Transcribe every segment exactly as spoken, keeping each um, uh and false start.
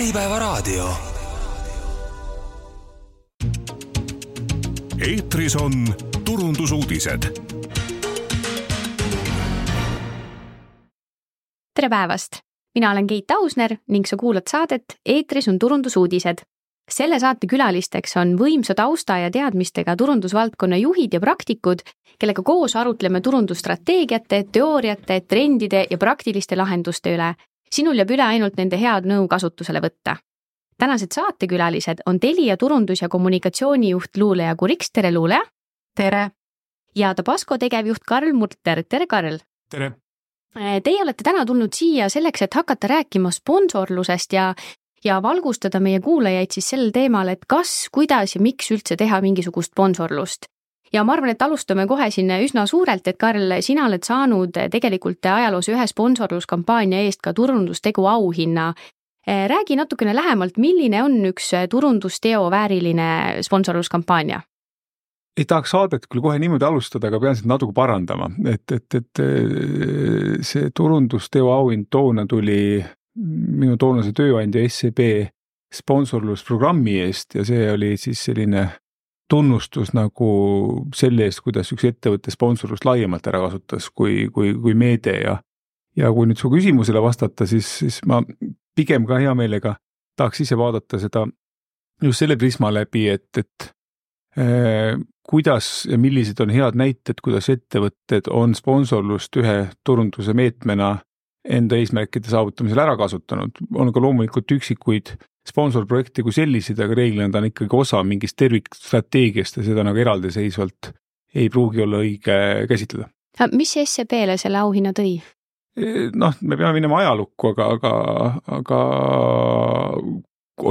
Äripäevaraadio. Eetris on turundusuudised. Tere päevast! Mina olen Keit Ausner ning sa kuulad saadet Eetris on turundusuudised. Selle saate külalisteks on võimsa tausta ja teadmistega turundusvaldkonna juhid ja praktikud, kellega koos arutleme turundusstrateegiate, teooriate, trendide ja praktiliste lahenduste üle. Sinul jääb üle ainult nende head nõu kasutusele võtta. Tänased saatekülalised on Telia turundus- ja kommunikatsioonijuht Luuleja Kuriks. Tere, Luuleja! Tere! Ja Tabasco tegevjuht Karl Murter. Tere, Karl! Tere! Teie olete täna tulnud siia selleks, et hakata rääkima sponsorlusest ja, ja valgustada meie kuulajaid siis sellel teemal, et kas, kuidas ja miks üldse teha mingisugust sponsorlust. Ja ma arvan, et alustame kohe siin üsna suurelt, et Karl, sina oled saanud tegelikult ajaloos ühe sponsorluskampaania eest ka turundustegu auhinna. Räägi natukene lähemalt, milline on üks turundusteo vääriline sponsorluskampaania? Ei tahaks saadet küll kohe niimoodi alustada, aga pean seda natuke parandama, et, et, et see turundusteo auhind toona tuli minu toonase tööandja S E B sponsorlusprogrammi eest ja see oli siis selline tunnustus nagu selle eest, kuidas üks ettevõtte sponsorlust laiemalt ära kasutas kui, kui, kui meede ja, ja kui nüüd su küsimusele vastata, siis, siis ma pigem ka hea meelega tahaks ise vaadata seda just selle prisma läbi, et, et eh, kuidas ja millised on head näited, kuidas ettevõtted on sponsorlust ühe turunduse meetmena enda eesmärkide saavutamisel ära kasutanud. On ka loomulikult üksikuid sponsorprojekti kui sellised, aga reeglina ta on ikkagi osa mingist tervikstrateegiast ja seda nagu eraldiseisvalt ei pruugi olla õige käsitleda. Mis S E B-le selle auhinna tõi? Noh, me peame minema ajalukku, aga, aga, aga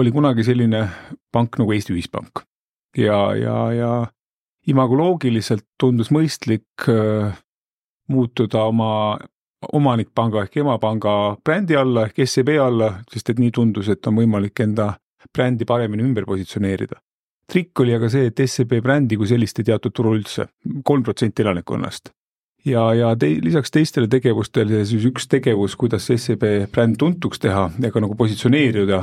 oli kunagi selline pank nagu Eesti Ühispank ja, ja, ja imagoloogiliselt tundus mõistlik muutuda oma omanikpanga ehk emapanga brändi alla ehk S E B alla, sest et nii tundus, et on võimalik enda brändi paremini ümber positsioneerida. Trikk oli aga see, et S E B brändi kui sellist ei teatud turul üldse, kolm protsenti elanikkonnast. Ja, ja te, lisaks teistele tegevustele siis üks tegevus, kuidas S E B bränd tuntuks teha ja ka nagu positsioneerida,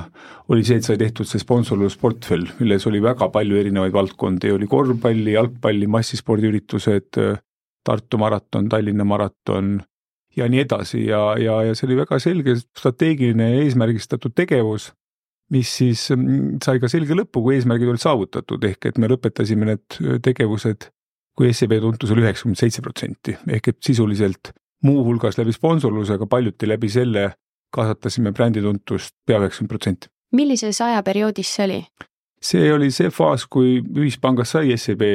oli see, et sai tehtud see sponsorlusportfell, milles oli väga palju erinevaid valdkondi, oli korvpalli, jalgpalli, massispordiüritused, Tartu maraton, Tallinna maraton ja nii edasi ja, ja, ja see oli väga selge strateegiline ja eesmärgistatud tegevus, mis siis sai ka selge lõppu, kui eesmärgid olid saavutatud, ehk et me lõpetasime need tegevused, kui S E B tuntus oli üheksakümmend seitse protsenti, ehk et sisuliselt muu hulgas läbi sponsorlusega paljuti läbi selle kasvatasime brändi tuntust pea üheksakümmend protsenti. Millises ajaperioodis see oli? See oli see faas, kui ühispangas sai S E B,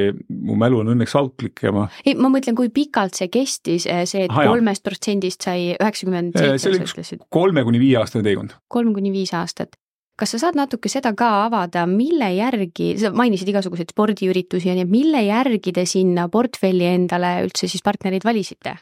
mu mälu on õnneks autlik ja ma... Ei, ma mõtlen, kui pikalt see kestis, see, et kolmest protsendist sai üheksakümmend seitse. See oli üks kolme kuni viie aastane teekond. Kolm kuni viis aastat. Kas sa saad natuke seda ka avada, mille järgi, sa mainisid igasuguseid spordiüritusi ja nii, mille järgi te sinna portfelli endale üldse siis partnerid valisite?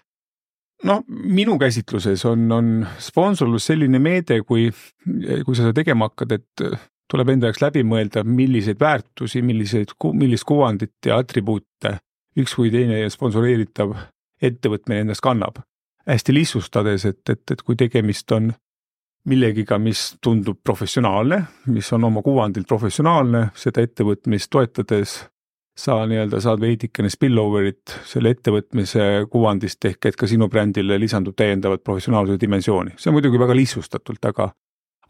No, minu käsitluses on, on sponsorlus selline meede, kui, kui sa seda tegema hakkad, et tuleb enda jaoks läbi mõelda, milliseid väärtusi, milliseid, millist kuvandit ja atribuute üks või teine sponsoreeritav ettevõtmine endast kannab. Hästi lihtsustades, et, et, et kui tegemist on millegiga, mis tundub professionaalne, mis on oma kuvandilt professionaalne, seda ettevõtmist toetades sa nii-öelda saad veidikene spilloverit selle ettevõtmise kuvandist ehk et ka sinu brändile lisandub täiendavat professionaalsuse dimensiooni. See on muidugi väga lihtsustatult, aga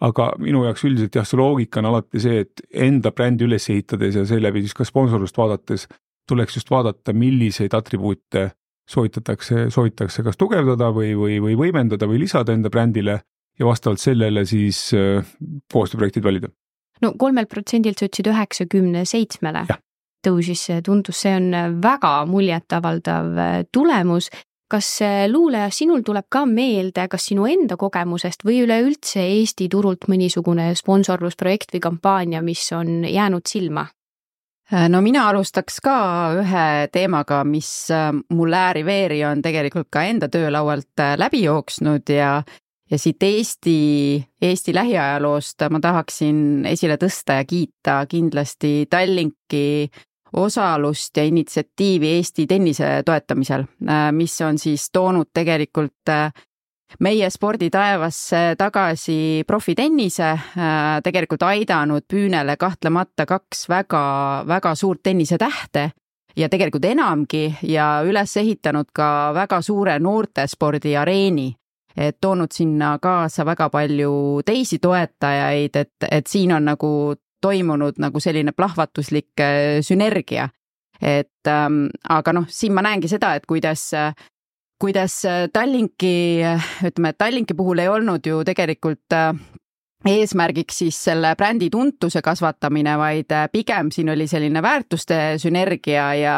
Aga minu jaoks üldiselt jah, see loogika on alati see, et enda brändi üles ehitades ja seeläbi siis ka sponsorlust vaadates tuleks just vaadata, milliseid atribuute soovitatakse, soovitatakse kas tugevdada või, või, või võimendada või lisada enda brändile ja vastavalt sellele siis koostööprojektid valida. No kolmelt protsendilt sa ütlesid üheksakümne seitsmele tõusis, tundus, see on väga muljetavaldav tulemus. Kas Luuleja, sinul tuleb ka meelde, kas sinu enda kogemusest või üleüldse Eesti turult mõnisugune sponsorlusprojekt või kampaania, mis on jäänud silma? No mina alustaks ka ühe teemaga, mis mul ääri-veeri on tegelikult ka enda töölaualt läbi jooksnud ja, ja siit Eesti, Eesti lähiajaloost ma tahaksin esile tõsta ja kiita kindlasti Tallinki osalust ja initsiatiivi Eesti tennise toetamisel, mis on siis toonud tegelikult meie sporditaevasse tagasi profitennise, tegelikult aidanud püünele kahtlemata kaks väga, väga suurt tennisetähte ja tegelikult enamgi ja üles ehitanud ka väga suure noortespordi areeni. Et toonud sinna kaasa väga palju teisi toetajaid, et, et siin on nagu toimunud nagu selline plahvatuslik sünergia. Et, ähm, aga noh, siin ma näengi seda, et kuidas, kuidas Tallinki, ütleme, et Tallinki puhul ei olnud ju tegelikult eesmärgiks siis selle brändi tuntuse kasvatamine, vaid pigem siin oli selline väärtuste sünergia ja,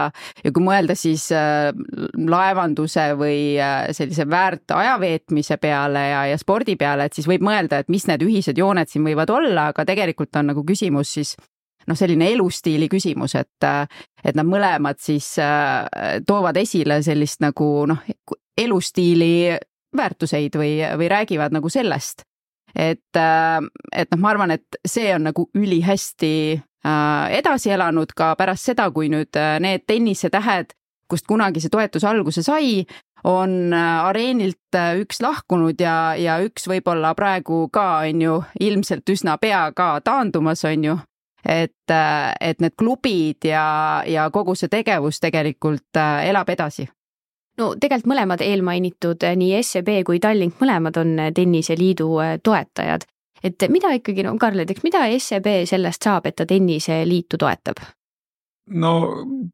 ja kui mõelda siis laevanduse või sellise väärt ajaveetmise peale ja, ja spordi peale, et siis võib mõelda, et mis need ühised jooned siin võivad olla, aga tegelikult on nagu küsimus siis noh, selline elustiili küsimus, et, et nad mõlemad siis toovad esile sellist nagu noh, elustiili väärtuseid või, või räägivad nagu sellest. Et, et noh, ma arvan, et see on nagu ülihästi edasi elanud ka pärast seda, kui nüüd need tennisetähed, kust kunagi see toetus alguse sai, on areenilt üks lahkunud ja, ja üks võib-olla praegu ka on ju ilmselt üsna pea ka taandumas on ju, et, et need klubid ja, ja kogu see tegevus tegelikult elab edasi. No tegelikult mõlemad eelmainitud, nii S E B kui Tallink, mõlemad on tenniseliidu toetajad. Et mida ikkagi, no Karl, et mida S E B sellest saab, et ta tenniseliitu toetab? No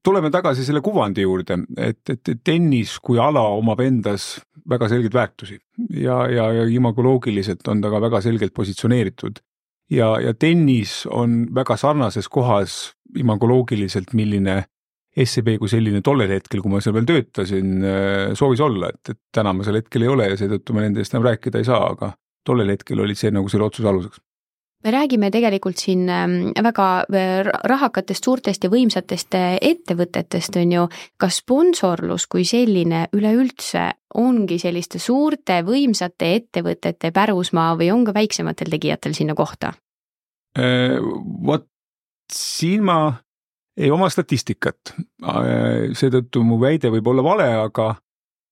tuleme tagasi selle kuvandi juurde, et, et tennis kui ala omab endas väga selgeid väärtusi ja, ja, ja imagoloogiliselt on ta ka väga selgelt positsioneeritud. Ja, ja tennis on väga sarnases kohas imagoloogiliselt, milline S E B kui selline tollel hetkel, kui ma seal veel töötasin, soovis olla, et, et täna ma seal hetkel ei ole ja seetõttu me nendest enam rääkida ei saa, aga tollel hetkel oli see nagu selle otsuse aluseks. Me räägime tegelikult siin väga rahakatest, suurtest ja võimsatest ettevõtetest on ju, kas sponsorlus kui selline üleüldse ongi selliste suurte võimsate ettevõtete pärusmaa või on ka väiksematel tegijatel sinna kohta? Vot siin ma ei oma statistikat, seetõttu mu väide võib olla vale, aga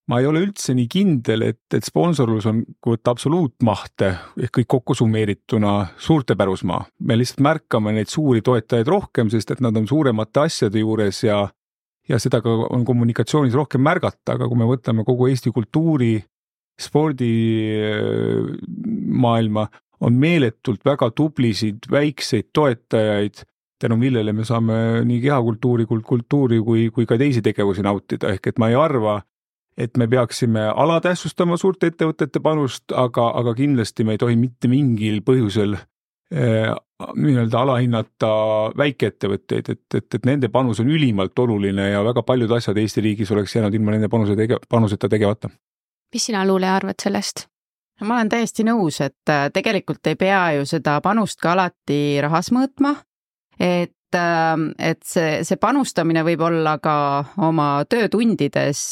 ma ei ole üldse nii kindel, et, et sponsorlus on võtta absoluutmahte ehk kõik kokku summeerituna suurte pärusmaa. Me lihtsalt märkame neid suuri toetajaid rohkem, sest et nad on suuremate asjade juures ja, ja seda ka on kommunikatsioonis rohkem märgata, aga kui me võtame kogu Eesti kultuuri, spordi maailma, on meeletult väga tublisid, väikseid toetajaid, tänu millele me saame nii kehakultuuri, kultuuri kui, kui ka teisi tegevusi nautida, ehk et ma ei arva, et me peaksime alatähtsustama suurte ettevõtete panust, aga, aga kindlasti me ei tohi mitte mingil põhjusel eh, nii-öelda alahinnata väikeettevõtteid, et, et, et nende panus on ülimalt oluline ja väga paljud asjad Eesti riigis oleks jäänud ilma nende panuse tege, panuseta tegevata. Mis sina, Luule, arvad sellest? Ma olen täiesti nõus, et tegelikult ei pea ju seda panust ka alati rahas mõõtma, et, et see, see panustamine võib olla ka oma töötundides,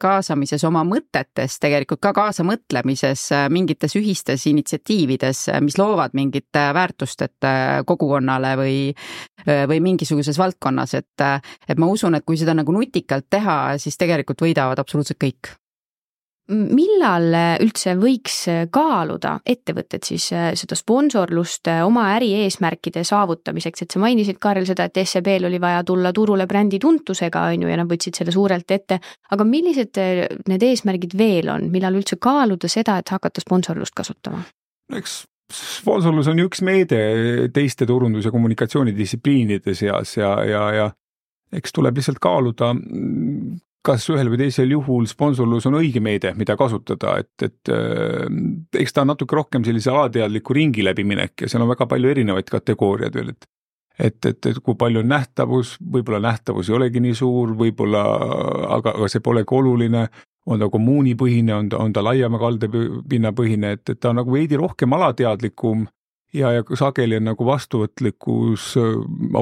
kaasamises, oma mõtetes, tegelikult ka kaasamõtlemises, mingites ühistes initsiatiivides, mis loovad mingit väärtust et kogukonnale või, või mingisuguses valdkonnas, et, et ma usun, et kui seda nagu nutikalt teha, siis tegelikult võidavad absoluutselt kõik. Millal üldse võiks kaaluda ettevõtted siis seda sponsorlust oma äri eesmärkide saavutamiseks, et sa mainisid, Karel, seda, et S E B-l oli vaja tulla turule brändi tuntusega, on ju, ja nad võtsid selle suurelt ette, aga millised need eesmärgid veel on, millal üldse kaaluda seda, et hakata sponsorlust kasutama? Eks sponsorlus on üks meede teiste turundus- ja kommunikatsioonidistsipliinide seas ja, ja, ja eks tuleb lihtsalt kaaluda, kas ühel või teisel juhul sponsorlus on õige meede, mida kasutada, et, et eks ta on natuke rohkem sellise alateadliku ringi läbiminek ja seal on väga palju erinevaid kategooriaid veel, et, et, et, et kui palju on nähtavus, võib-olla nähtavus ei olegi nii suur, võib-olla, aga, aga see polegi oluline, on ta kommuunipõhine, on ta, on ta laiema kaldepinnapõhine, et, et ta on nagu veidi rohkem alateadlikum ja, ja sageli on nagu vastuvõtlikkus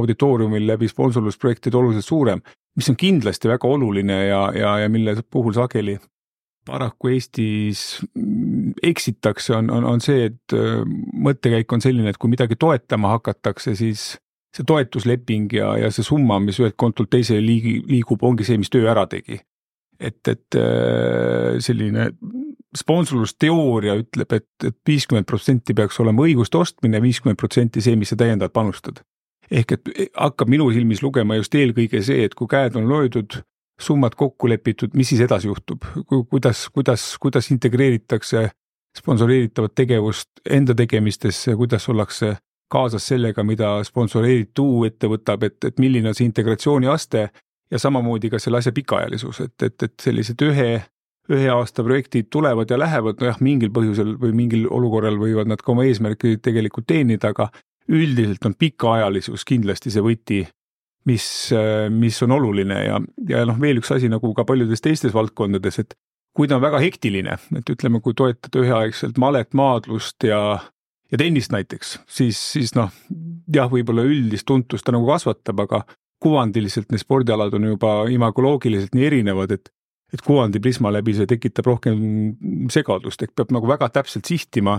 auditooriumil läbi sponsorlusprojektid oluliselt suurem, mis on kindlasti väga oluline ja, ja, ja mille puhul sageli paraku Eestis eksitakse, on, on, on see, et mõttekäik on selline, et kui midagi toetama hakatakse, siis see toetusleping ja, ja see summa, mis ühelt kontolt teisele liigub, ongi see, mis töö ära tegi. Et, et selline sponsorlusteooria ütleb, et, et viiskümmend protsenti peaks olema õiguste ostmine, viiskümmend protsenti see, mis sa täiendavalt panustad. Ehk et hakkab minu silmis lugema just eelkõige see, et kui käed on löödud, summad kokku lepitud, mis siis edasi juhtub, kuidas, kuidas, kuidas integreeritakse sponsoreeritavat tegevust enda tegemistesse, kuidas ollakse kaasas sellega, mida sponsoreeritu ette võtab, et, et milline on see integratsiooni aste ja samamoodi ka selle asja pikaajalisus, et, et, et sellised ühe, ühe aasta projektid tulevad ja lähevad, no jah, mingil põhjusel või mingil olukorral võivad nad ka oma eesmärki tegelikult teenida, aga üldiselt on pikaajalisus kindlasti see võti, mis, mis on oluline ja, ja noh, veel üks asi nagu ka paljudes teistes valdkondades, et kui ta on väga hektiline, et ütleme, kui toetada üheaegselt malet, maadlust ja, ja tennist näiteks, siis, siis noh, jah, võib-olla üldist tuntust ta nagu kasvatab, aga kuvandiliselt need spordialad on juba imagoloogiliselt nii erinevad, et, et kuvandi prisma läbi see tekitab rohkem segadust, et peab nagu väga täpselt sihtima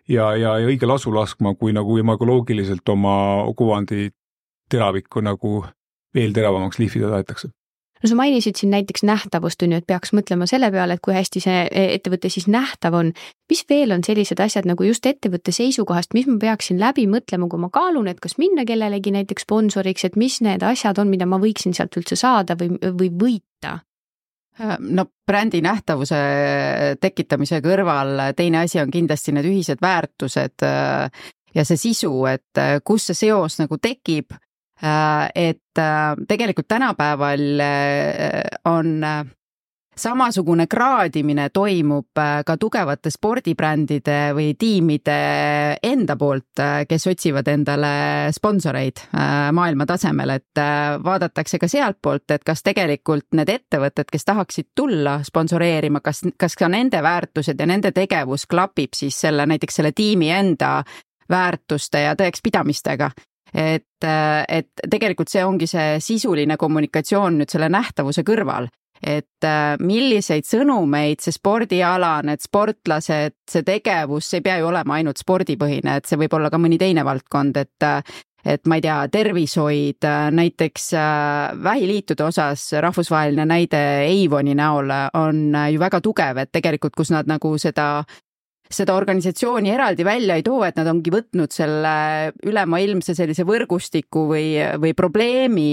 ja, ja, ja õige lasu laskma, kui nagu imagoloogiliselt oma kuvandi teravikku nagu veel teravamaks lihvida tahetakse. No sa mainisid siin näiteks nähtavust, on ju, et peaks mõtlema selle peale, et kui hästi see ettevõte siis nähtav on. Mis veel on sellised asjad nagu just ettevõtte seisukohast, mis ma peaksin läbi mõtlema, kui ma kaalun, et kas minna kellelegi näiteks sponsoriks, et mis need asjad on, mida ma võiksin sealt üldse saada või, või võita? No brändi nähtavuse tekitamise kõrval teine asi on kindlasti need ühised väärtused ja see sisu, et kus see seos nagu tekib. Et tegelikult tänapäeval on samasugune kraadimine toimub ka tugevate spordibrändide või tiimide enda poolt, kes otsivad endale sponsoreid maailma tasemel, et vaadatakse ka sealt poolt, et kas tegelikult need ettevõtted, kes tahaksid tulla sponsoreerima, kas, kas ka nende väärtused ja nende tegevus klapib siis selle, näiteks selle tiimi enda väärtuste ja tõekspidamistega. Et, et tegelikult see ongi see sisuline kommunikatsioon nüüd selle nähtavuse kõrval, et milliseid sõnumeid see spordiala, need sportlased, see tegevus, see ei pea ju olema ainult spordipõhine, et see võib olla ka mõni teine valdkond, et, et ma ei tea, tervishoid, näiteks vähiliitude osas rahvusvaheline näide Avoni näol on ju väga tugev, et tegelikult kus nad nagu seda seda organisatsiooni eraldi välja ei too, et nad ongi võtnud selle ülemaailmse sellise võrgustiku või, või probleemi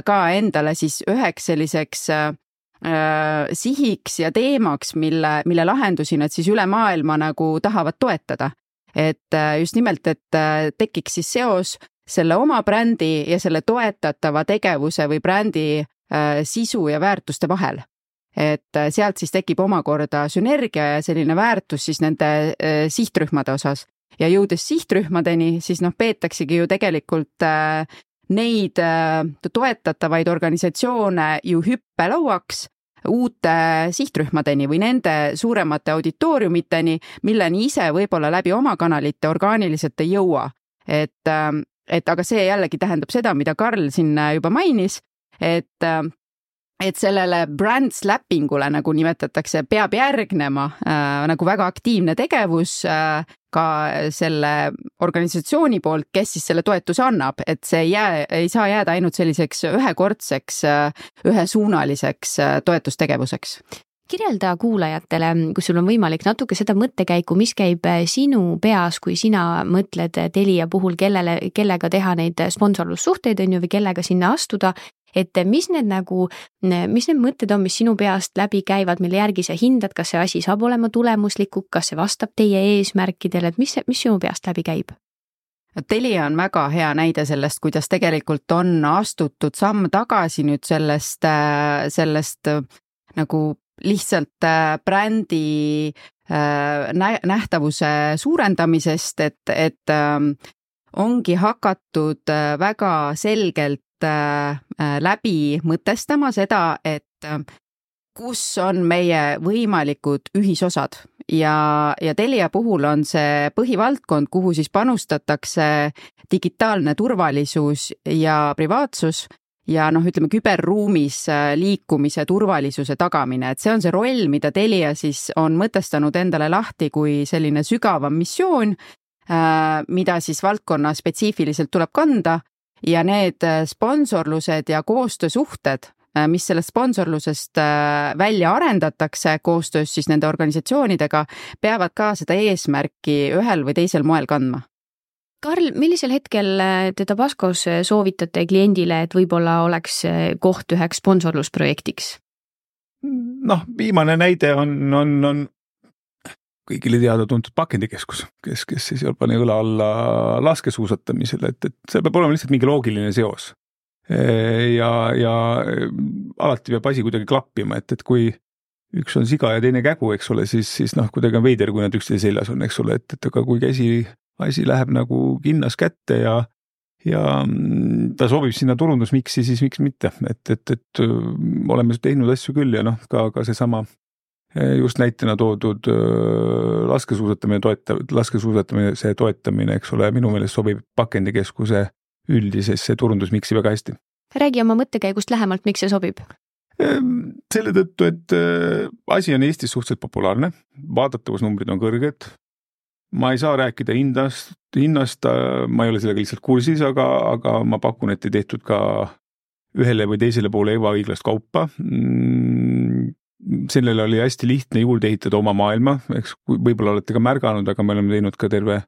ka endale siis üheks selliseks äh, sihiks ja teemaks, mille, mille lahendusi nad siis üle maailma nagu tahavad toetada. Et just nimelt, et tekiks siis seos selle oma brändi ja selle toetatava tegevuse või brändi äh, sisu ja väärtuste vahel. Et sealt siis tekib omakorda sünergia ja selline väärtus siis nende äh, sihtrühmade osas. Ja jõudes sihtrühmadeni, siis noh, peetaksegi ju tegelikult äh, neid äh, toetatavaid organisatsioone ju hüppelauaks uute sihtrühmadeni või nende suuremate auditooriumiteni, milleni ise võib-olla läbi oma kanalite orgaaniliselt ei jõua. Et, äh, et aga see jällegi tähendab seda, mida Karl siin juba mainis, et äh, et sellele brand slappingule, nagu nimetatakse, peab järgnema äh, nagu väga aktiivne tegevus äh, ka selle organisatsiooni poolt, kes siis selle toetuse annab, et see ei, jää, ei saa jääda ainult selliseks ühekordseks, ühesuunaliseks toetustegevuseks. Kirjelda kuulajatele, kui sul on võimalik natuke seda mõttekäiku, mis käib sinu peas, kui sina mõtled Telia puhul, kellele, kellega teha neid sponsorlussuhteid on ju või kellega sinna astuda, et mis need nagu, mis need mõtted on, mis sinu peast läbi käivad, mille järgi sa hindad, kas see asi saab olema tulemusliku, kas see vastab teie eesmärkidele, et mis, mis sinu peast läbi käib? Telia on väga hea näide sellest, kuidas tegelikult on astutud samm tagasi nüüd sellest, sellest nagu lihtsalt brändi nähtavuse suurendamisest, et, et ongi hakatud väga selgelt läbi mõtestama seda, et kus on meie võimalikud ühisosad ja, ja Telia puhul on see põhivaldkond, kuhu siis panustatakse digitaalne turvalisus ja privaatsus ja noh, ütleme küberruumis liikumise turvalisuse tagamine, et see on see roll, mida Telia siis on mõtestanud endale lahti kui selline sügavam missioon, mida siis valdkonna spetsiifiliselt tuleb kanda ja need sponsorlused ja koostöösuhted, mis sellest sponsorlusest välja arendatakse koostöös siis nende organisatsioonidega, peavad ka seda eesmärki ühel või teisel moel kandma. Karl, millisel hetkel te Tabascos soovitate kliendile, et võib-olla oleks koht üheks sponsorlusprojektiks? Noh, viimane näide on, on, on kõigile teada tuntud pakendikeskus, kes, kes siis pani õla alla laskesuusatamisele, et, et see peab olema lihtsalt mingi loogiline seos. Ja, ja alati peab asi kuidagi klappima, et, et kui üks on siga ja teine kägu, eks ole, siis, siis noh, kuidagi on veider, kui nad üksteise seljas on, eks ole, et, et aga kui käsi, asi läheb nagu kinnas kätte ja ja ta sobib sinna turundusmiksi, siis miks mitte, et, et, et oleme teinud asju küll ja noh, ka, ka see sama just näitena toodud laskesuusatamine, toeta, laskesuusatamine, see toetamine, eks ole, minu meelest sobib pakendikeskuse üldisesse turundusmiksi väga hästi. Räägi oma mõttekäigust lähemalt, miks see sobib? Selle tõttu, et asi on Eestis suhteliselt populaarne, vaadatavusnumbrid on kõrged, ma ei saa rääkida hinnast, hinnast, ma ei ole sellega lihtsalt kursis, aga, aga ma pakun, et ei tehtud ka ühele või teisele poole ebaõiglast kaupa. Sellele oli hästi lihtne juurde ehitada oma maailma, eks võib-olla olete ka märganud, aga me oleme teinud ka terve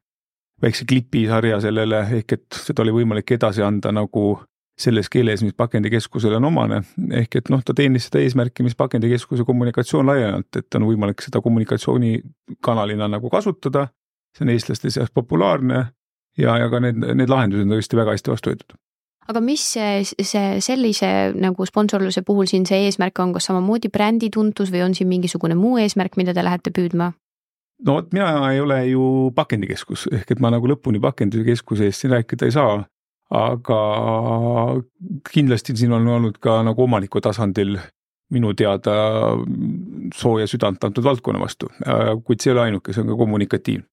väikse klipisarja sellele, ehk et seda oli võimalik edasi anda nagu selles keeles, mis pakendikeskusele on omane, ehk et noh, ta teenis seda eesmärki, mis pakendikeskuse kommunikatsioon laiemalt, et on võimalik seda kommunikatsioonikanalina nagu kasutada, see on eestlaste seas populaarne ja, ja ka need, need lahendused on tõesti väga hästi vastu võetud. Aga mis see, see sellise nagu sponsorluse puhul siin see eesmärk on, kas samamoodi brändi tuntus või on siin mingisugune muu eesmärk, mida te lähete püüdma? No mina ei ole ju pakendikeskus, ehk et ma nagu lõpuni pakendikeskuse eest siin rääkida ei saa, aga kindlasti siin on olnud ka nagu omaniku tasandil minu teada sooja südant antud valdkonna vastu, kuid see ei ole ainuke, see on ka kommunikatiivne.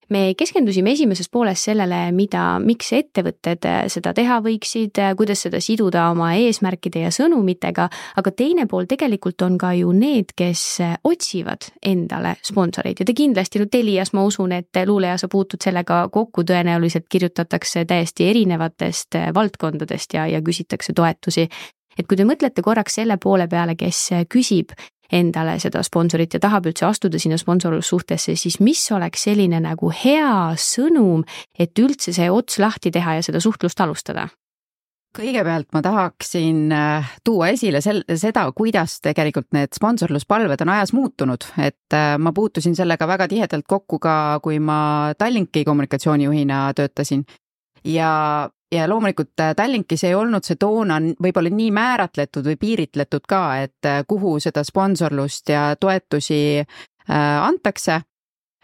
Me keskendusime esimeses pooles sellele, mida, miks ettevõtted seda teha võiksid, kuidas seda siduda oma eesmärkide ja sõnumitega, aga teine pool tegelikult on ka ju need, kes otsivad endale sponsoreid ja te kindlasti no Telias ma usun, et luuleja sa puutud sellega kokku, tõenäoliselt kirjutatakse täiesti erinevatest valdkondadest ja, ja küsitakse toetusi. Et kui te mõtlete korraks selle poole peale, kes küsib endale seda sponsorit ja tahab üldse astuda sinna sponsorlussuhtesse, siis mis oleks selline nagu hea sõnum, et üldse see ots lahti teha ja seda suhtlust alustada? Kõigepealt ma tahaksin tuua esile sel- seda, kuidas tegelikult need sponsorluspalved on ajas muutunud, et ma puutusin sellega väga tihedalt kokku ka, kui ma Tallinki kommunikatsioonijuhina töötasin ja Ja loomulikult Tallinkis ei olnud see toona võib-olla nii määratletud või piiritletud ka, et kuhu seda sponsorlust ja toetusi antakse.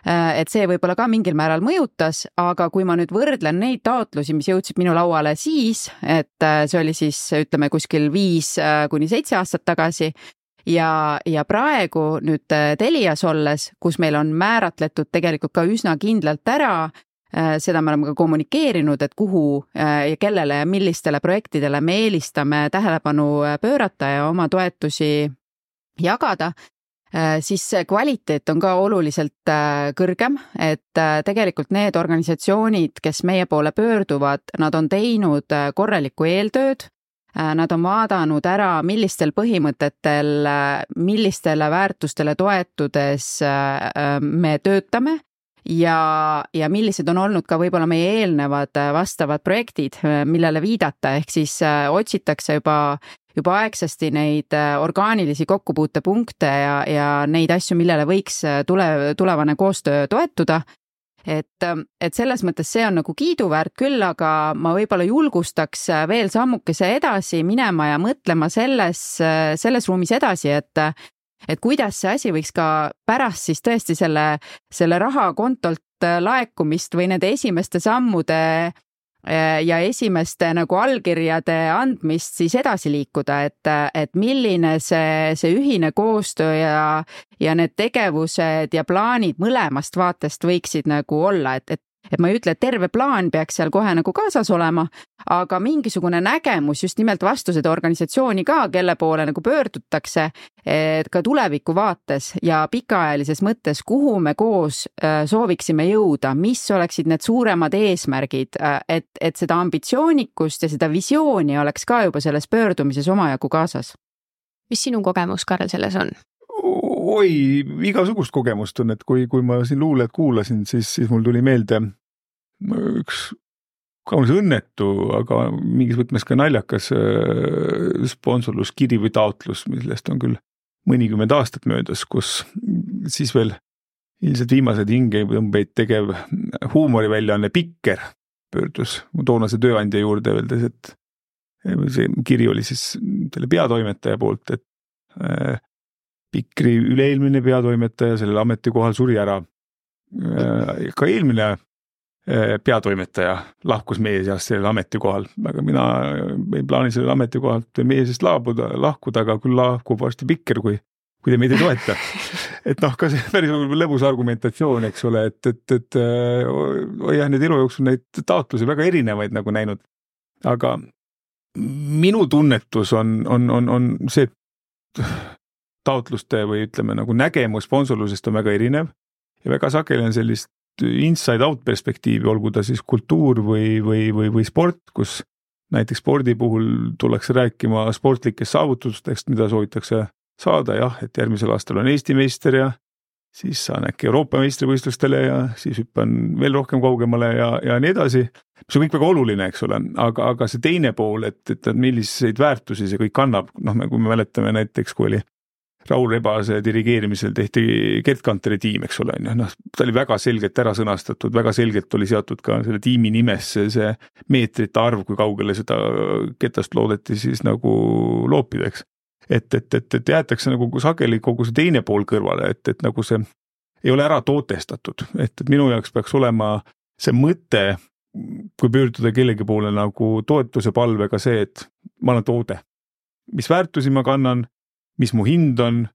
Et see võib-olla ka mingil määral mõjutas, aga kui ma nüüd võrdlen neid taotlusi, mis jõudsid minu lauale siis, et see oli siis ütleme kuskil viis kuni seitse aastat tagasi ja, ja praegu nüüd Telias olles, kus meil on määratletud tegelikult ka üsna kindlalt ära, seda me oleme ka kommunikeerinud, et kuhu ja kellele ja millistele projektidele me eelistame tähelepanu pöörata ja oma toetusi jagada, siis see kvaliteet on ka oluliselt kõrgem, et tegelikult need organisatsioonid, kes meie poole pöörduvad, nad on teinud korralikku eeltööd, nad on vaadanud ära, millistel põhimõtetel, millistele väärtustele toetudes me töötame, ja, ja millised on olnud ka võib-olla meie eelnevad vastavad projektid, millele viidata, ehk siis otsitakse juba, juba aegsasti neid orgaanilisi kokkupuutepunkte ja, ja neid asju, millele võiks tule, tulevane koostöö toetuda. Et, et selles mõttes see on nagu kiiduväärt küll, aga ma võib-olla julgustaks veel sammukese edasi minema ja mõtlema selles, selles ruumis edasi, et et kuidas see asi võiks ka pärast siis tõesti selle, selle rahakontolt laekumist või nende esimeste sammude ja esimeste nagu allkirjade andmist siis edasi liikuda, et, et milline see, see ühine koostöö ja, ja need tegevused ja plaanid mõlemast vaatest võiksid nagu olla, et, et Et ma ei ütle, et terve plaan peaks seal kohe nagu kaasas olema, aga mingisugune nägemus just nimelt vastu seda organisatsiooni ka, kelle poole nagu pöördutakse, et ka tuleviku vaates ja pikaajalises mõttes, kuhu me koos sooviksime jõuda, mis oleksid need suuremad eesmärgid, et, et seda ambitsioonikust ja seda visiooni oleks ka juba selles pöördumises omajagu kaasas. mis sinu kogemus, Karl, selles on? Oi, igasugust kogemust on, et kui, kui ma siin luuled kuulasin, siis, siis mul tuli meelde üks kaunis õnnetu, aga mingis võtmes ka naljakas sponsorluskiri või taotlus, millest on küll mõnikümmend aastat möödas, kus siis veel ilmselt viimased hingetõmbeid tegev huumoriväljaanne Pikker pöördus mu toonase tööandja juurde öeldes, et see kiri oli siis selle peatoimetaja poolt, et äh, Pikri üleeelmine peatoimetaja sellel ametikohal suri ära. Äh, ka eelmine äh, peatoimetaja lahkus meie seast sellel ametikohal, aga mina ei plaani sellel ametikohalt meie seast laabuda, lahkuda, aga küll lahkub varsti Pikker, kui, kui te meid ei toeta. Et noh, ka see päris lõbus argumentatsioon, eks ole, et, et, et äh, jah, need elu jooksul neid taotlusi väga erinevaid nagu näinud, aga minu tunnetus on, on, on, on see taotluste või ütleme nagu nägemus sponsorlusest on väga erinev ja väga sageli on sellist inside out perspektiivi, olgu ta siis kultuur või, või, või, või sport, kus näiteks spordi puhul tullakse rääkima sportlikest saavutustest, mida soovitakse saada, jah, et järgmisel aastal on Eesti meister ja siis saan äkki Euroopa meistrivõistlustele ja siis hüppan veel rohkem kaugemale ja, ja nii edasi. See on kõik väga oluline, eks ole, aga, aga see teine pool, et, et milliseid väärtusi see kõik kannab, noh, kui me mäletame näiteks, kui oli Raul Rebase dirigeerimisel tehti Gert Kanteri tiim, eks ole, noh, ta oli väga selgelt ära sõnastatud, väga selgelt oli seatud ka selle tiimi nimesse see meetrite arv, kui kaugele seda ketast loodeti siis nagu loopida, eks. Et, et, et, et jäetakse nagu sageli kogu see teine pool kõrvale, et, et nagu see ei ole ära tootestatud, et, et minu jaoks peaks olema see mõte, kui pöörduda kellegi poole nagu toetuse palvega see, et ma olen toode, mis väärtusi ma kannan, mis mu hind on,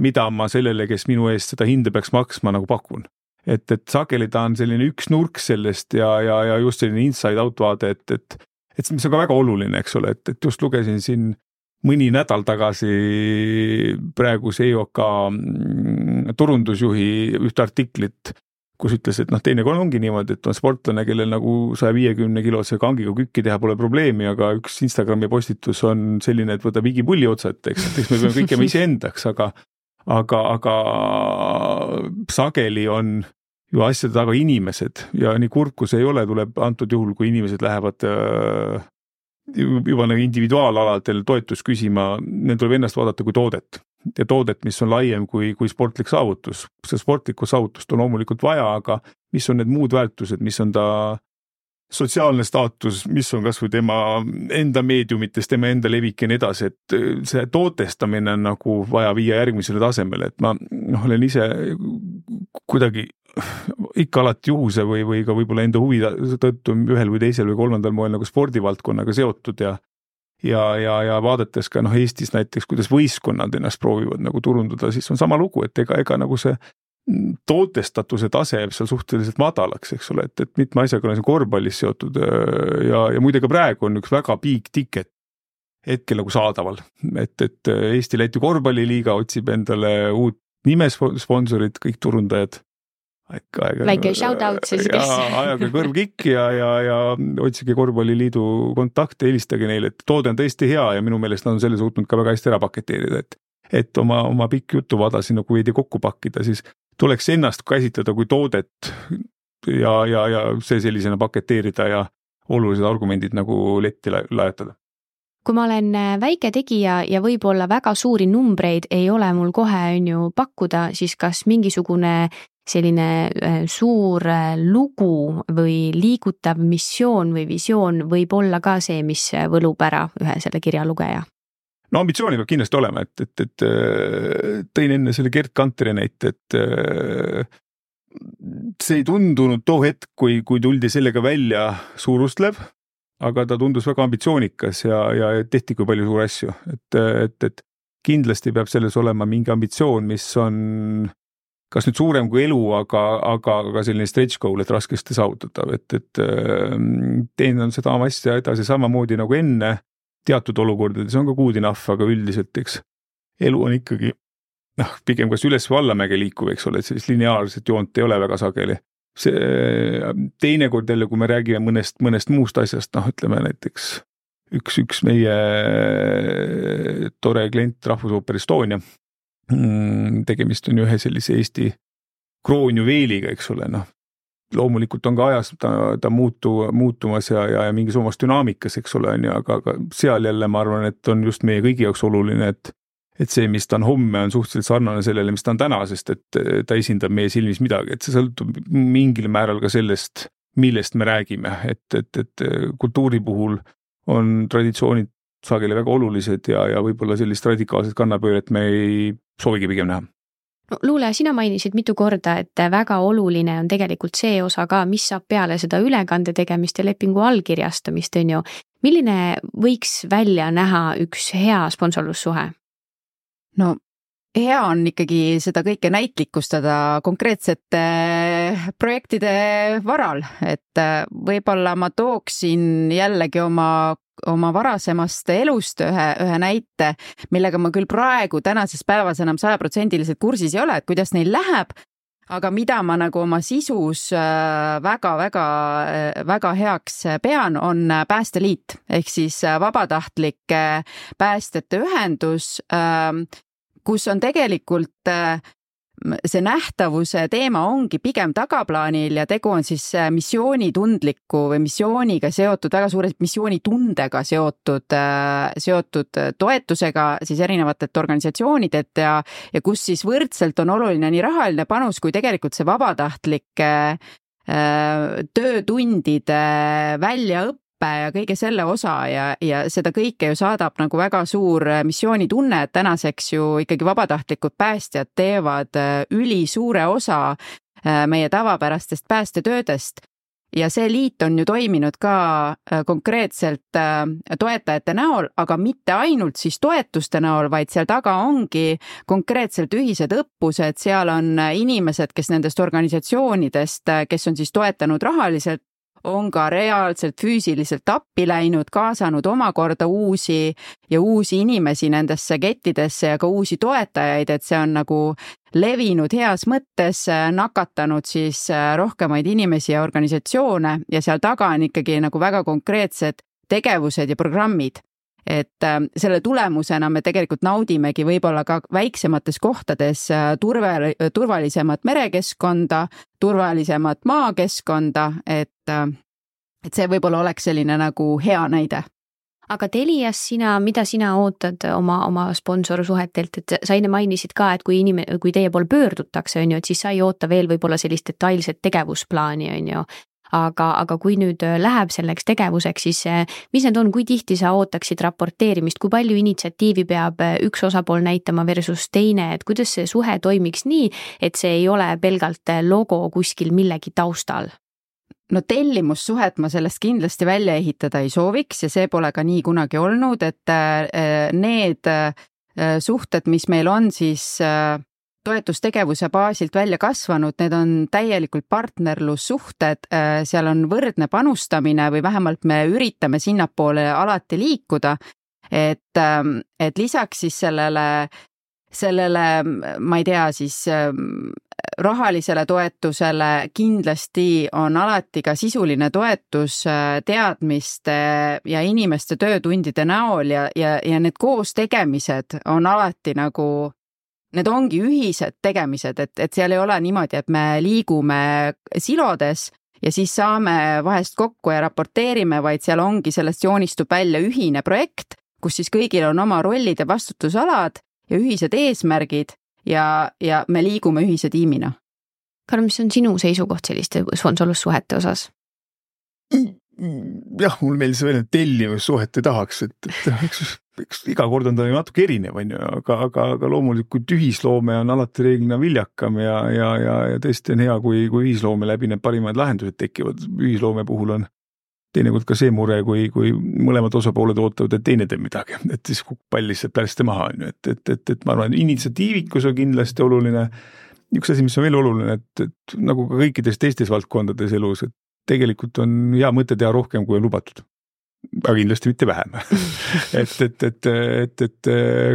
mida ma sellele, kes minu eest seda hinde peaks maksma, nagu pakun. Et, et sageli ta on selline üks nurk sellest ja, ja, ja just selline inside out vaade, et, et, et mis on ka väga oluline, eks ole, et, et just lugesin siin mõni nädal tagasi praeguse E O K turundusjuhi ühte artiklit, kus ütles, et noh, teinekord ongi niimoodi, et on sportlane, kellel nagu saja viiekümne kilose kangiga kükki teha pole probleemi, aga üks Instagrami postitus on selline, et võtab igipulli otsad, eks, eks me peame kõik jääma iseendaks, aga, aga, aga sageli on ju asjade taga inimesed ja nii kurb, kui see ei ole, tuleb antud juhul, kui inimesed lähevad äh, juba nagu individuaalaladel toetust küsima, neil tuleb ennast vaadata kui toodet ja toodet, mis on laiem kui, kui sportlik saavutus. See sportlikku saavutust on loomulikult vaja, aga mis on need muud väärtused, mis on ta sotsiaalne staatus, mis on kas või tema enda meediumites, tema enda levik ja nii edasi, et see tootestamine on nagu vaja viia järgmisele tasemele, et ma noh, olen ise kuidagi ikka alati juhuse või, või ka võib-olla enda huvi tõttu ühel või teisel või kolmandal moel nagu spordivaldkonnaga seotud ja ja, ja, ja vaadates ka noh, Eestis näiteks, kuidas võistkonnad ennast proovivad nagu turundada, siis on sama lugu, et ega, ega nagu see tootestatuse tase jääb seal suhteliselt madalaks, eks ole, et, et mitme asjaga on korvpallis seotud ja, ja muide ka praegu on üks väga big ticket hetkel nagu saadaval, et, et Eesti-Läti korvpalliliiga otsib endale uut nimesponsorit, kõik turundajad. Aega, aega, väike shout out siis, kes. Ajaga kõrvkikki ja, ja, ja otsige korvpalliliidu kontakte, helistage neile, et toode on tõesti hea ja minu meelest nad on selle suutnud ka väga hästi ära paketeerida, et, et oma, oma pikk jutuvada siin nagu veidi kokku pakkida, siis tuleks ennast käsitleda kui toodet ja, ja, ja see sellisena paketeerida ja olulised argumendid nagu letti lajatada. Kui ma olen väike tegija ja võib-olla väga suuri numbreid ei ole mul kohe on ju pakkuda, siis kas mingisugune selline suur lugu või liigutav missioon või visioon võib olla ka see, mis võlub ära ühe selle kirja lugeja? No ambitsiooni peab kindlasti olema, et, et, et tõin enne selle Gert Kanteri näite, et see ei tundunud too hetk, kui, kui tuldi sellega välja suurustlev, aga ta tundus väga ambitsioonikas ja, ja tehti kui palju suuri asju, et, et, et kindlasti peab selles olema mingi ambitsioon, mis on kas nüüd suurem kui elu, aga, aga, aga selline stretch goal, et raskesti saavutatav, et, et teen seda asja edasi samamoodi nagu enne, teatud olukordades on ka good enough, aga üldiselt, eks, elu on ikkagi noh, pigem kas üles või allamäge liikuv, eks ole, et sellist lineaarset joont ei ole väga sageli. See teinekord jälle, kui me räägime mõnest, mõnest muust asjast, noh, ütleme näiteks üks, üks meie tore klient Rahvusooper Estonia. Tegemist on ühe sellise Eesti kroonjuveeliga, eks ole, noh. Loomulikult on ka ajas ta, ta muutu, muutumas ja, ja, ja mingis omas dünaamikas, eks ole, on ja, aga, aga seal jälle ma arvan, et on just meie kõigi jaoks oluline, et, et see, mis ta on homme, on suhteliselt sarnane sellele, mis ta on täna, sest et ta esindab meie silmis midagi, et see sõltub mingil määral ka sellest, millest me räägime, et, et, et kultuuri puhul on traditsioonid sageli väga olulised ja, ja võib-olla sellist radikaalset kannapööret me ei soovigi pigem näha. No, Luule, sina mainisid mitu korda, et väga oluline on tegelikult see osa ka, mis saab peale seda ülekande tegemist ja lepingu allkirjastamist, on ju. Milline võiks välja näha üks hea sponsorlussuhe? No hea on ikkagi seda kõike näitlikustada konkreetsete projektide varal, et võib-olla ma tooksin jällegi oma oma varasemast elust ühe, ühe näite, millega ma küll praegu tänases päevas enam sajaprotsendiliselt kursis ei ole, et kuidas neil läheb, aga mida ma nagu oma sisus väga, väga, väga heaks pean, on Päästeliit, ehk siis vabatahtlike päästjate ühendus, kus on tegelikult see nähtavuse teema ongi pigem tagaplaanil ja tegu on siis missioonitundliku või missiooniga seotud, väga suure missioonitundega seotud, seotud toetusega siis erinevatelt organisatsioonidelt ja, ja kus siis võrdselt on oluline nii rahaline panus kui tegelikult see vabatahtlike töötundide väljaõppe ja kõige selle osa ja, ja seda kõike ju saadab nagu väga suur missioonitunne, et tänaseks ju ikkagi vabatahtlikud päästjad teevad üli suure osa meie tavapärastest päästetöödest ja see liit on ju toiminud ka konkreetselt toetajate näol, aga mitte ainult siis toetuste näol, vaid seal taga ongi konkreetselt ühised õppused, seal on inimesed, kes nendest organisatsioonidest, kes on siis toetanud rahaliselt, on ka reaalselt füüsiliselt appi läinud, kaasanud omakorda uusi ja uusi inimesi nendesse kettidesse ja ka uusi toetajaid, et see on nagu levinud heas mõttes, nakatanud siis rohkemaid inimesi ja organisatsioone ja seal taga on ikkagi nagu väga konkreetsed tegevused ja programmid. Et selle tulemusena me tegelikult naudimegi võib-olla ka väiksemates kohtades turve, turvalisemat merekeskkonda, turvalisemat maakeskkonda, et, et see võib-olla oleks selline nagu hea näide. Aga Telias sina, mida sina ootad oma, oma sponsorsuhetelt, et sa enne mainisid ka, et kui, inime, kui teie pool pöördutakse, on ju, et siis sa ei oota veel võib-olla sellist detailset tegevusplaani, on ju. Aga, aga kui nüüd läheb selleks tegevuseks, siis mis need on, kui tihti sa ootaksid raporteerimist, kui palju initsiatiivi peab üks osapool näitama versus teine, et kuidas see suhe toimiks nii, et see ei ole pelgalt logo kuskil millegi taustal? No tellimussuhet ma sellest kindlasti välja ehitada ei sooviks ja see pole ka nii kunagi olnud, et need suhted, mis meil on siis toetustegevuse baasilt välja kasvanud, need on täielikult partnerlussuhted, seal on võrdne panustamine või vähemalt me üritame sinnapoole alati liikuda, et, et lisaks siis sellele, sellele, ma ei tea, siis rahalisele toetusele kindlasti on alati ka sisuline toetus teadmiste ja inimeste töötundide näol ja, ja, ja need koos tegemised on alati nagu need ongi ühised tegemised, et, et seal ei ole niimoodi, et me liigume silodes ja siis saame vahest kokku ja raporteerime, vaid seal ongi, sellest joonistub välja ühine projekt, kus siis kõigil on oma rollid ja vastutusalad ja ühised eesmärgid ja, ja me liigume ühise tiimina. Karl, mis on sinu seisukoht selliste sponsorlussuhete osas? Jah, mul meil see veel tellimussuhet ei tahaks, et, et eks, eks iga kord on ta natuke erinev, on ju, aga, aga, aga loomulikult ühisloome on alati reeglina viljakam ja, ja, ja, ja tõesti on hea, kui, kui ühisloome läbi need parimad lahendused tekivad. Ühisloome puhul on teinekord ka see mure, kui, kui mõlemad osapooled ootavad, et teine teeb midagi, et siis pall lihtsalt pärste maha, on ju, et, et, et, et ma arvan, initsiatiivikus on kindlasti oluline. Üks asi, mis on veel oluline, et, et nagu ka kõikides teistes valdkondades elus, et tegelikult on hea mõte teha rohkem, kui on lubatud. Aga kindlasti mitte vähem. et, et, et, et, et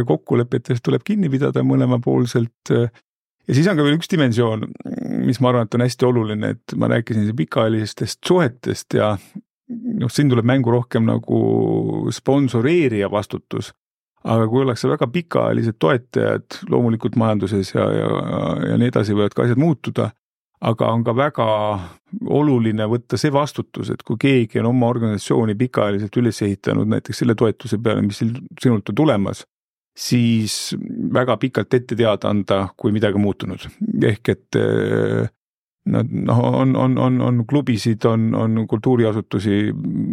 kokkulepetest tuleb kinni pidada mõlemapoolselt. Ja siis on ka veel üks dimensioon, mis ma arvan, et on hästi oluline, et ma rääkisin pikaajalisest suhetest ja noh, siin tuleb mängu rohkem nagu sponsoreerija vastutus, aga kui ollakse väga pikaajalised toetajad loomulikult majanduses ja, ja, ja nii edasi võivad ka asjad muutuda, aga on ka väga oluline võtta see vastutus, et kui keegi on oma organisatsiooni pikaajaliselt üles ehitanud näiteks selle toetuse peale, mis sinult on tulemas, siis väga pikalt ette teada anda, kui midagi muutunud. Ehk et noh, on, on, on, on klubisid, on, on kultuuriasutusi,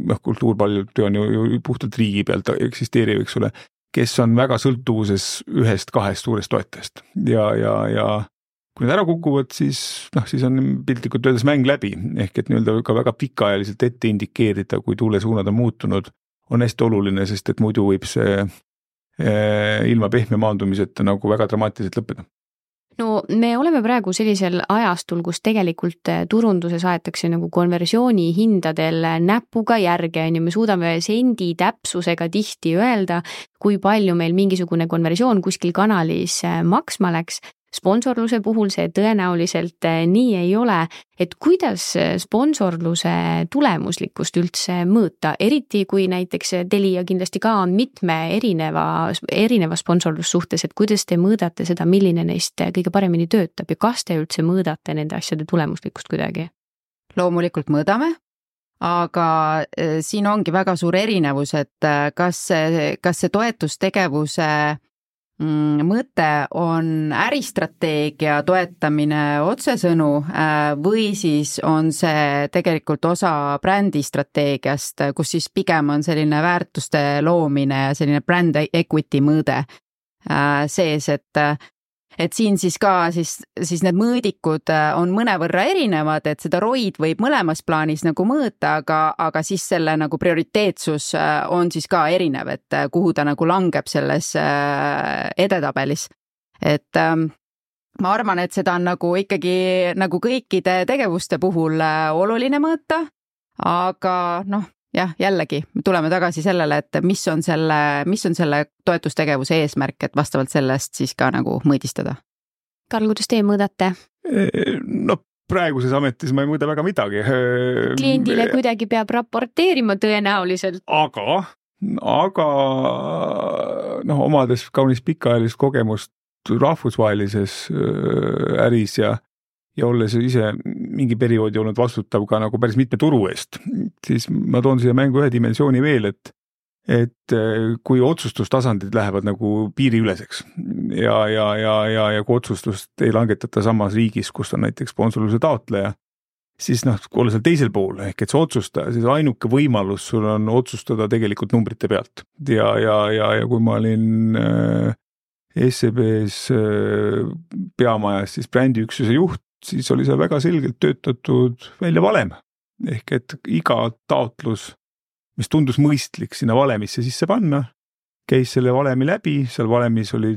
noh, kultuur paljud on ju, ju puhtalt riigi pealt eksisteeriv, eks ole, kes on väga sõltuvuses ühest kahest suurest toetajast. Ja, ja, ja kui need ära kukuvad, siis, noh, siis on piltlikult öeldes mäng läbi. Ehk et nii-öelda ka väga pikaajaliselt ette indikeerida, kui tuulesuunad on muutunud, on hästi oluline, sest et muidu võib see ilma pehme maandumiseta nagu väga dramaatiliselt lõppeda. No me oleme praegu sellisel ajastul, kus tegelikult turunduses aetakse nagu konversiooni hindadel näpuga järge, ja me suudame sendi täpsusega tihti öelda, kui palju meil mingisugune konversioon kuskil kanalis maksma läks. Sponsorluse puhul see tõenäoliselt nii ei ole, et kuidas sponsorluse tulemuslikkust üldse mõõta, eriti kui näiteks Telia kindlasti ka on mitme erineva, erineva sponsorlussuhtes, et kuidas te mõõdate seda, milline neist kõige paremini töötab ja kas te üldse mõõdate nende asjade tulemuslikkust kuidagi? Loomulikult mõõdame, aga siin ongi väga suur erinevus, et kas see, kas see toetustegevuse mõte on äristrateegia toetamine otsesõnu või siis on see tegelikult osa brändistrateegiast, kus siis pigem on selline väärtuste loomine ja selline brand equity mõõde sees, et et siin siis ka siis, siis need mõõdikud on mõnevõrra erinevad, et seda R O I-d võib mõlemas plaanis nagu mõõta, aga, aga siis selle nagu prioriteetsus on siis ka erinev, et kuhu ta nagu langeb selles edetabelis. Et ma arvan, et seda on nagu ikkagi nagu kõikide tegevuste puhul oluline mõõta, aga noh, jah, jällegi tuleme tagasi sellele, et mis on selle, mis on selle toetustegevuse eesmärk, et vastavalt sellest siis ka nagu mõõdistada. Karl, kuidas teie mõõdate? No praeguses ametis ma ei mõõda väga midagi. Kliendile kuidagi peab raporteerima tõenäoliselt. Aga, aga noh, omades kaunis pikaajalist kogemust rahvusvahelises äris ja ja olles ise mingi perioodi olnud vastutav ka nagu päris mitme turu eest, siis ma toon siia mängu ühe dimensiooni veel, et, et kui otsustustasandid lähevad nagu piiriüleseks ja, ja, ja, ja, ja kui otsustust ei langetata samas riigis, kus on näiteks sponsorluse taotleja, siis noh, kui olla seal teisel pool, ehk et see otsustaja, siis ainuke võimalus sul on otsustada tegelikult numbrite pealt. Ja, ja, ja, ja kui ma olin S E B-s peamajas siis brändiüksuse juht, siis oli seal väga selgelt töötatud välja valem. Ehk et iga taotlus, mis tundus mõistlik sinna valemisse sisse panna, käis selle valemi läbi, seal valemis oli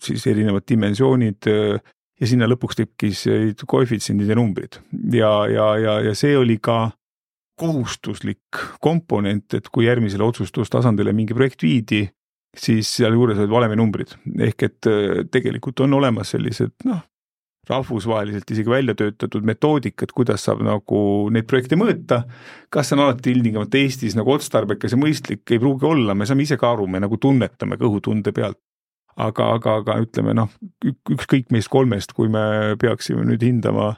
siis erinevad dimensioonid ja sinna lõpuks tekkis koefitsiendid ja numbrid. Ja, ja, ja, ja see oli ka kohustuslik komponent, et kui järgmisele otsustustasandile mingi projekt viidi, siis seal juures olid valemi numbrid. Ehk et tegelikult on olemas sellised, noh, rahvusvaheliselt isegi välja töötatud metoodikad, kuidas saab nagu neid projekte mõõta. Kas on alati ilmtingimata Eestis nagu otstarbekas ja mõistlik, ei pruugi olla, me saame ise ka aru, me nagu tunnetame kõhutunde pealt. Aga, aga, aga ütleme, noh, ükskõik meist kolmest, kui me peaksime nüüd hindama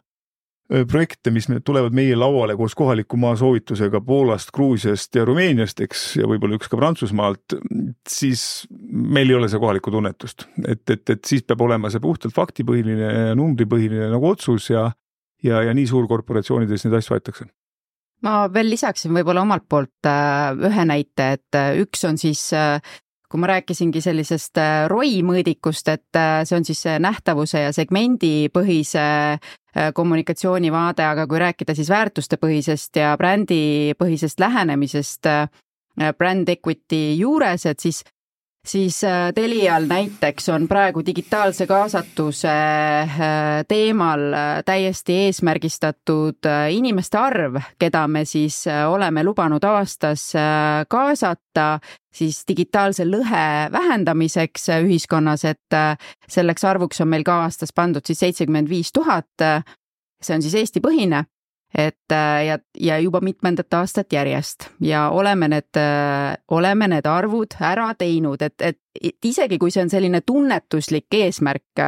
projekte, mis tulevad meie lauale koos kohaliku maa soovitusega Poolast, Gruusiast ja Rumeeniast, eks, ja võib-olla üks ka Prantsusmaalt, siis meil ei ole see kohalikku tunnetust. Et, et, et siis peab olema see puhtalt faktipõhiline ja numbripõhiline nagu otsus ja, ja, ja nii suurkorporatsioonides neid asju võetakse. Ma veel lisaksin võib-olla omalt poolt ühe näite, et üks on siis kui ma rääkisingi sellisest R O I mõõdikust, et see on siis nähtavuse ja segmendi põhise kommunikatsioonivaade, aga kui rääkida siis väärtuste põhisest ja brändi põhisest lähenemisest brand equity juures, et siis siis Telial näiteks on praegu digitaalse kaasatuse teemal täiesti eesmärgistatud inimeste arv, keda me siis oleme lubanud aastas kaasata siis digitaalse lõhe vähendamiseks ühiskonnas, et selleks arvuks on meil ka aastas pandud siis seitsekümmend viis tuhat, see on siis Eesti põhine. et ja, ja juba mitmendat aastat järjest ja oleme need, oleme need arvud ära teinud, et, et isegi kui see on selline tunnetuslik eesmärk,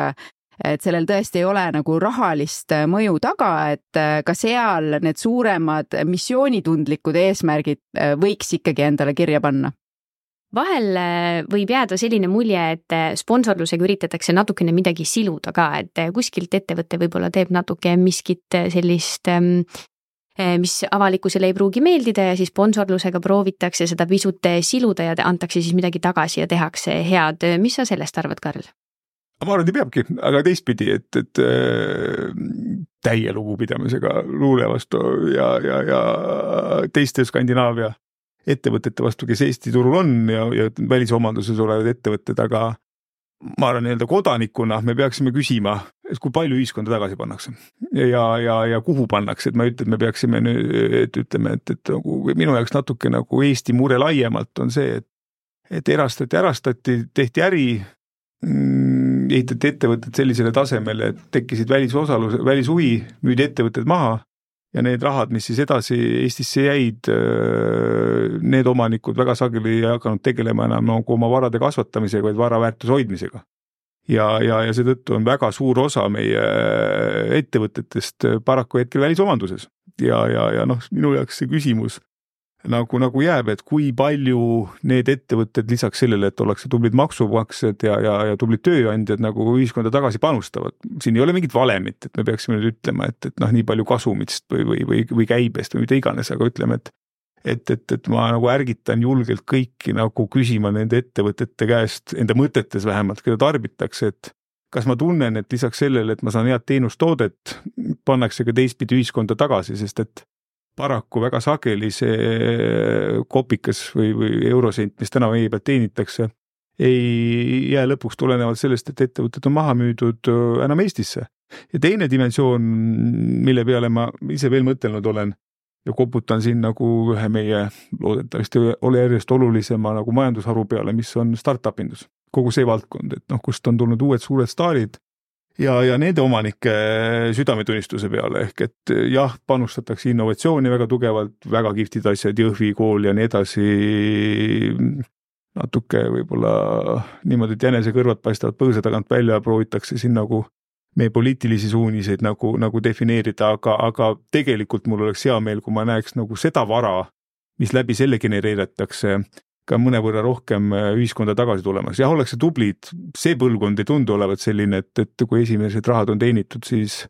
et sellel tõesti ei ole nagu rahalist mõju taga, et ka seal need suuremad missioonitundlikud eesmärgid võiks ikkagi endale kirja panna. Vahel võib jääda selline mulje, et sponsorlusega üritatakse natukene midagi siluda ka, et kuskilt ettevõte võib-olla teeb natuke miskit sellist, mis avalikkusele ei pruugi meeldida ja siis sponsorlusega proovitakse seda pisut siluda ja antakse siis midagi tagasi ja tehakse head. Mis sa sellest arvad, Karl? Ma arvan, et peabki, aga teistpidi, et, et täie lugupidamisega luule vastu ja, ja, ja teiste Skandinaavia ettevõtete vastu, kes Eesti turul on ja, ja välisomanduses olevad ettevõtted, aga ma arvan, nii-öelda kodanikuna me peaksime küsima, et kui palju ühiskonda tagasi pannakse ja, ja, ja kuhu pannakse, et ma ütlen, et me peaksime nüüd, et ütleme, et, et nagu, minu jaoks natuke nagu Eesti mure laiemalt on see, et, et erastati, erastati, tehti äri, ehitati ettevõtted sellisele tasemele, et tekkisid välisosalus, välishuvi, müüdi ettevõtted maha ja need rahad, mis siis edasi Eestisse jäid, need omanikud väga sageli ei hakanud tegelema enam nagu oma varade kasvatamisega, vaid varaväärtuse hoidmisega. Ja, ja, ja seetõttu on väga suur osa meie ettevõtetest paraku hetkel välisomanduses. Ja, ja, ja noh, minu jaoks see küsimus nagu, nagu jääb, et kui palju need ettevõtted lisaks sellele, et ollakse tublid maksumaksjad ja, ja, ja tublid tööandjad nagu ühiskonda tagasi panustavad. Siin ei ole mingit valemit, et me peaksime nüüd ütlema, et, et noh, nii palju kasumist või, või, või, või käibest või mida iganes, aga ütleme, et, et, et, et ma nagu ärgitan julgelt kõiki nagu küsima nende ettevõtete käest, enda mõtetes vähemalt, keda tarbitakse, et kas ma tunnen, et lisaks sellele, et ma saan head teenustoodet, pannakse ka teistpidi ühiskonda tagasi, sest et paraku väga sageli see kopikas või, või eurosent, mis täna meie pealt teenitakse, ei jää lõpuks tulenevalt sellest, et ettevõtted on maha müüdud enam Eestisse. Ja teine dimensioon, mille peale ma ise veel mõtelnud olen ja koputan siin nagu ühe meie loodetavasti ole järjest olulisema nagu majandusharu peale, mis on startup-indus. Kogu see valdkond, et noh, kust on tulnud uued suured staarid, ja, ja nende omanike südametunnistuse peale, ehk et jah, panustatakse innovatsiooni väga tugevalt, väga kihvtid asjad, Jõhvi kool ja nii edasi, natuke võib-olla niimoodi, et jänese kõrvad paistavad põõsa tagant välja, proovitakse siin nagu meie poliitilisi suuniseid nagu, nagu defineerida, aga, aga tegelikult mul oleks hea meel, kui ma näeks nagu seda vara, mis läbi selle genereeritakse, ka mõne võrra rohkem ühiskonda tagasi tulemas. Jah, ollakse tublid, see põlvkond ei tundu olevat selline, et, et kui esimesed rahad on teenitud, siis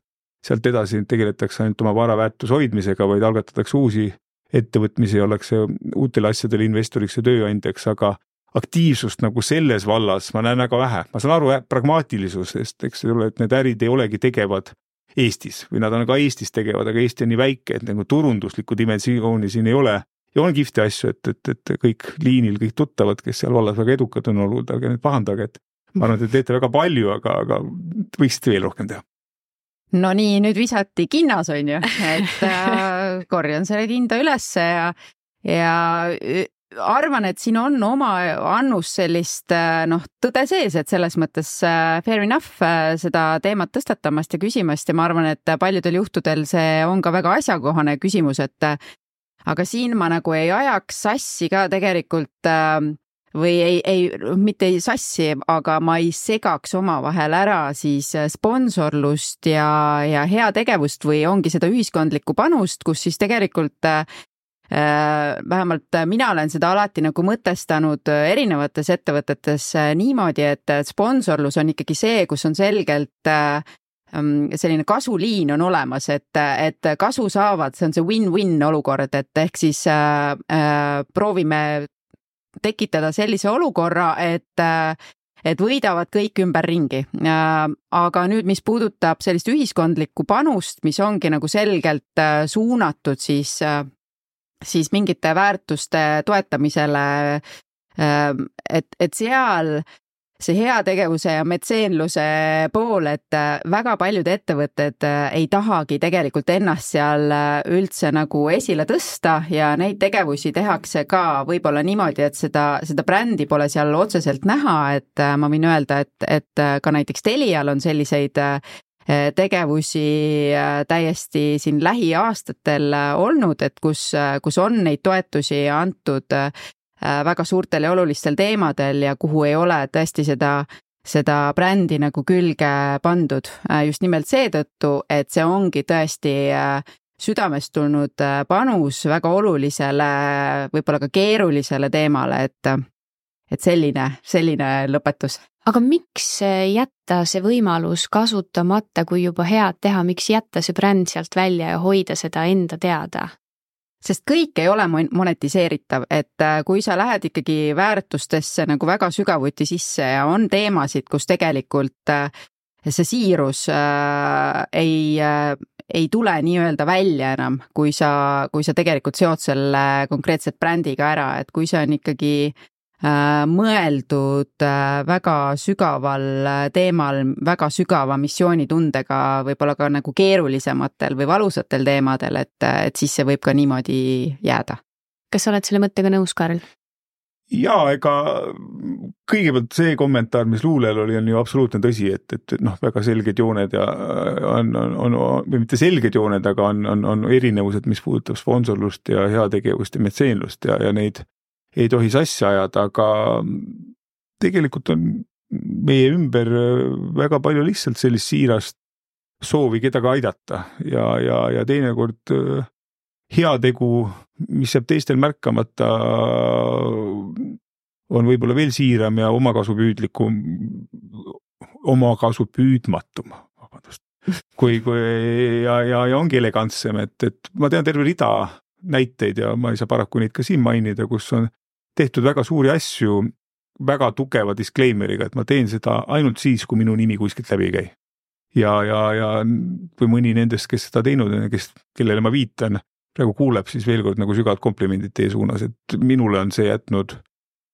sealt edasi tegeletakse ainult oma varaväärtuse hoidmisega, vaid algatatakse uusi ettevõtmisi ja ollakse uutele asjadele investoriks ja tööandjaks, aga aktiivsust nagu selles vallas ma näen väga vähe. Ma saan aru pragmaatilisusest, eks see ole, et need ärid ei olegi tegevad Eestis või nad on ka Eestis tegevad, aga Eesti on nii väike, et nagu turunduslikku dimensiooni siin ei ole. Ja on kihvti asju, et, et, et kõik liinil, kõik tuttavad, kes seal vallas väga edukad on olnud, aga need pahandage, et ma arvan, et te teete väga palju, aga, aga võiksite veel rohkem teha. No nii, nüüd visati kinnas on ju, et äh, korjan selle hinda ülesse ja, ja arvan, et siin on oma annus sellist noh, tõde sees, et selles mõttes fair enough seda teemat tõstatamast ja küsimast ja ma arvan, et paljudel juhtudel see on ka väga asjakohane küsimus, et aga siin ma nagu ei ajaks sassi ka tegelikult või ei, ei, mitte ei sassi, aga ma ei segaks omavahel ära siis sponsorlust ja, ja heategevust või ongi seda ühiskondlikku panust, kus siis tegelikult äh, vähemalt mina olen seda alati nagu mõtestanud erinevates ettevõtetes niimoodi, et sponsorlus on ikkagi see, kus on selgelt äh, selline kasuliin on olemas, et, et kasu saavad, see on see win-win olukord, et ehk siis äh, äh, proovime tekitada sellise olukorra, et, et võidavad kõik ümber ringi. Äh, aga nüüd, mis puudutab sellist ühiskondlikku panust, mis ongi nagu selgelt äh, suunatud siis, äh, siis mingite väärtuste toetamisele, äh, et, et seal see heategevuse ja metseenluse pool, et väga paljud ettevõtted ei tahagi tegelikult ennast seal üldse nagu esile tõsta ja neid tegevusi tehakse ka võib-olla niimoodi, et seda, seda brändi pole seal otseselt näha, et ma võin öelda, et, et ka näiteks Telial on selliseid tegevusi täiesti siin lähiaastatel olnud, et kus, kus on neid toetusi antud väga suurtel ja olulistel teemadel ja kuhu ei ole tõesti seda, seda brändi nagu külge pandud. Just nimelt seetõttu, et see ongi tõesti südamest tulnud panus väga olulisele, võib-olla ka keerulisele teemale, et, et selline, selline lõpetus. Aga miks jätta see võimalus kasutamata, kui juba head teha, miks jätta see bränd sealt välja ja hoida seda enda teada? Sest kõik ei ole monetiseeritav, et kui sa lähed ikkagi väärtustesse nagu väga sügavuti sisse ja on teemasid, kus tegelikult see siirus ei, ei tule nii-öelda välja enam, kui sa, kui sa tegelikult seod selle konkreetset brändiga ära, et kui see on ikkagi mõeldud väga sügaval teemal, väga sügava missioonitundega, võib-olla ka nagu keerulisematel või valusatel teemadel, et, et siis see võib ka niimoodi jääda. Kas sa oled selle mõttega nõus, Karl? Jaa, ega kõigepealt see kommentaar, mis luulel oli, on ju absoluutne tõsi, et, et noh, väga selged jooned ja on, on, on, või mitte selged jooned, aga on, on, on erinevused, mis puudutab sponsorlust ja heategevust ja metseenlust ja, ja neid ei tohi sassi ajada, aga tegelikult on meie ümber väga palju lihtsalt sellist siirast soovi kedagi aidata ja, ja, ja teinekord heategu, mis jääb teistel märkamata, on võib-olla veel siiram ja omakasupüüdlikum, omakasupüüdmatum, vabandust, kui, kui ja, ja, ja ongi elegantsem, et, et ma tean terve rida näiteid ja ma ei saa paraku neid ka siin mainida, kus on tehtud väga suuri asju väga tugeva disclaimeriga, et ma teen seda ainult siis, kui minu nimi kuskilt läbi ei käi. Ja, ja, ja kui mõni nendest, kes seda teinud on ja kes, kellele ma viitan, praegu kuuleb, siis veel kord nagu sügavad komplimendid teie suunas, et minule on see jätnud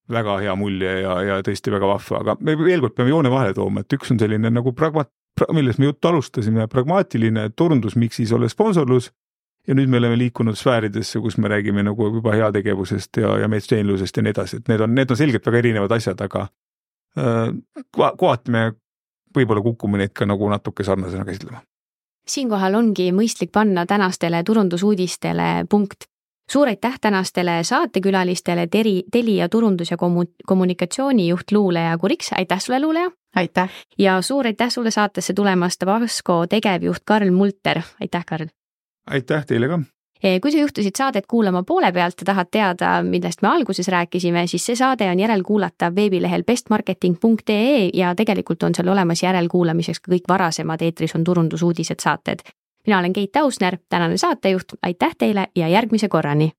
väga hea mulje ja, ja tõesti väga vahva, aga me veel kord peame joone vahele tooma, et üks on selline nagu pragma-, millest me juttu alustasime, pragmaatiline turundusmiksis ole sponsorlus ja nüüd me oleme liikunud sfääridesse, kus me räägime nagu juba heategevusest ja, ja metseenlusest ja nii edasi, et need on, need on selgelt väga erinevad asjad, aga äh, kohati me võib-olla kukume neid ka nagu natuke sarnasena käsitlema. Siinkohal ongi mõistlik panna tänastele turundusuudistele punkt. Suur aitäh tänastele saatekülalistele Teri, Telia turundus- ja kommunikatsioonijuht Luuleja Kuriks. Aitäh sulle, Luuleja! Aitäh! Ja suur aitäh sulle saatesse tulemast Vasko tegevjuht Karl Multer. Aitäh, Karl! Aitäh teile ka! Kui sa juhtusid saadet kuulama poole pealt ja tahad teada, millest me alguses rääkisime, siis see saade on järelkuulatav veebilehel bestmarketing punkt ee ja tegelikult on seal olemas järelkuulamiseks ka kõik varasemad eetris on turundusuudised saated. Mina olen Keit Ausner, tänane saatejuht, aitäh teile ja järgmise korrani!